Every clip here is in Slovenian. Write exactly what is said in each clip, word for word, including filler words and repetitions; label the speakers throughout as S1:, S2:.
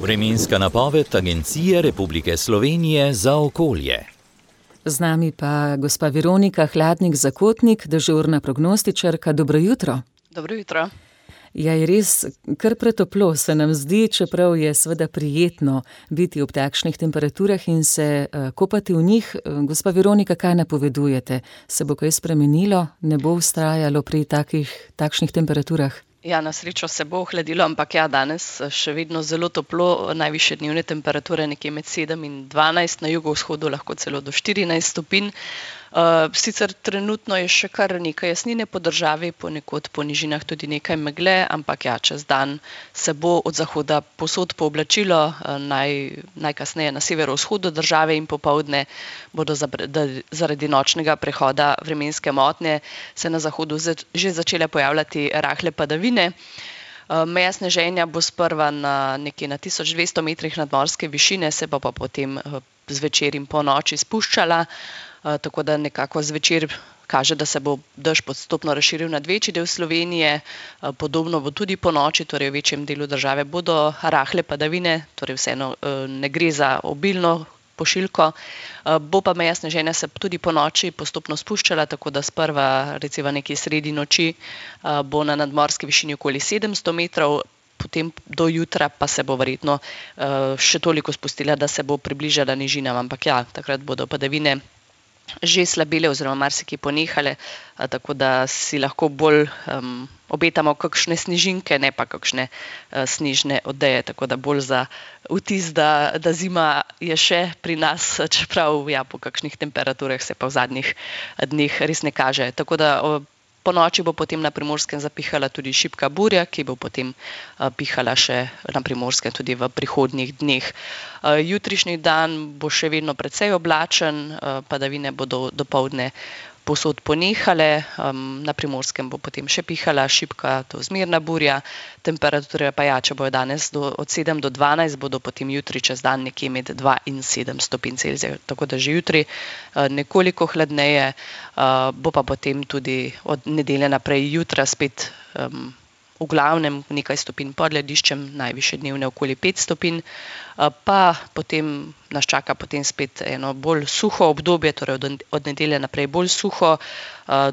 S1: Vremenska napoved Agencije Republike Slovenije za okolje.
S2: Z nami pa gospa Veronika Hladnik-Zakotnik, dežurna prognostičarka. Dobro jutro.
S3: Dobro jutro.
S2: Ja, je res kar pretoplo se nam zdi, čeprav je seveda prijetno biti ob takšnih temperaturah in se uh, kopati v njih. Gospa Veronika, kaj napovedujete? Se bo kaj spremenilo? Ne bo vztrajalo pri takih, takšnih temperaturah?
S3: Ja, na srečo se bo ohladilo, ampak ja, danes še vedno zelo toplo, najvišje dnevne temperature nekje med sedem in dvanajst, na jugovzhodu lahko celo do štirinajst stopinj. Uh, sicer trenutno je še kar nekaj jasnine po državi, ponekod po nižinah tudi nekaj megle, ampak ja, čez dan se bo od zahoda povsod pooblačilo, uh, naj, najkasneje na severovzhodu države in popoldne bodo zaradi nočnega prehoda vremenske motnje se na zahodu že začele pojavljati rahle padavine. Meja sneženja bo sprva na nekje na tisoč dvesto metrih nadmorske višine, se pa, pa potem zvečer in po noči spuščala, tako da nekako zvečer kaže, da se bo dež postopno razširil nad večji del Slovenije. Podobno bo tudi po noči, torej v večjem delu države bodo rahle padavine, torej vseeno ne gre za obilno pošiljko. Bo pa meja sneženja se tudi po noči postopno spuščala, tako da sprva recimo nekje sredi noči bo na nadmorski višini okoli sedemsto metrov, potem do jutra pa se bo verjetno še toliko spustila, da se bo približala nižinam, ampak ja, takrat bodo padavine že slabele oziroma marsikje ponehale, tako da si lahko bolj um, obetamo kakšne snežinke, ne pa kakšne uh, snežne odeje, tako da bolj za vtis, da, da zima je še pri nas, čeprav ja, po kakšnih temperaturah se pa v zadnjih dneh res ne kaže. Tako da uh, po noči bo potem na Primorskem zapihala tudi šibka burja, ki bo potem uh, pihala še na Primorskem tudi v prihodnjih dneh. Uh, jutrišnji dan bo še vedno precej oblačen, uh, padavine bodo dopoldne povsod ponehale, um, na Primorskem bo potem še pihala šibka do zmerna burja, temperature pa ja, če bojo danes do, od sedem do dvanajst, bodo potem jutri čez dan nekje med dva in sedem stopinj Celzija, tako da že jutri uh, nekoliko hladneje, uh, bo pa potem tudi od nedelje naprej jutra spet um, v glavnem nekaj stopinj pod lediščem, najvišje dnevne okoli pet stopinj, pa potem nas čaka potem spet eno bolj suho obdobje, torej od nedelje naprej bolj suho,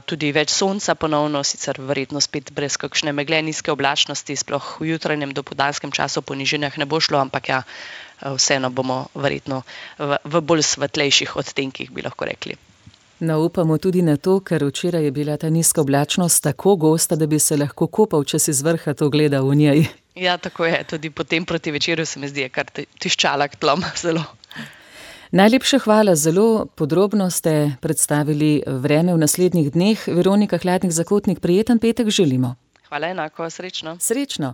S3: tudi več sonca ponovno, sicer verjetno spet brez kakšne megle, nizke oblačnosti, sploh v jutranjem dopoldanskem času po nižinah ne bo šlo, ampak ja, vseeno bomo verjetno v, v bolj svetlejših odtenkih, bi lahko rekli.
S2: No, upamo tudi na to, ker včeraj je bila ta nizka oblačnost tako gosta, da bi se lahko kopal, če si z vrha to gleda v njej.
S3: Ja, tako je. Tudi potem proti večeru se mi zdi, kar tiščala k tlom zelo.
S2: Najlepša hvala, zelo podrobno ste predstavili vreme v naslednjih dneh. Veronika Hladnik-Zakotnik, prijeten petek želimo.
S3: Hvala enako, srečno.
S2: Srečno.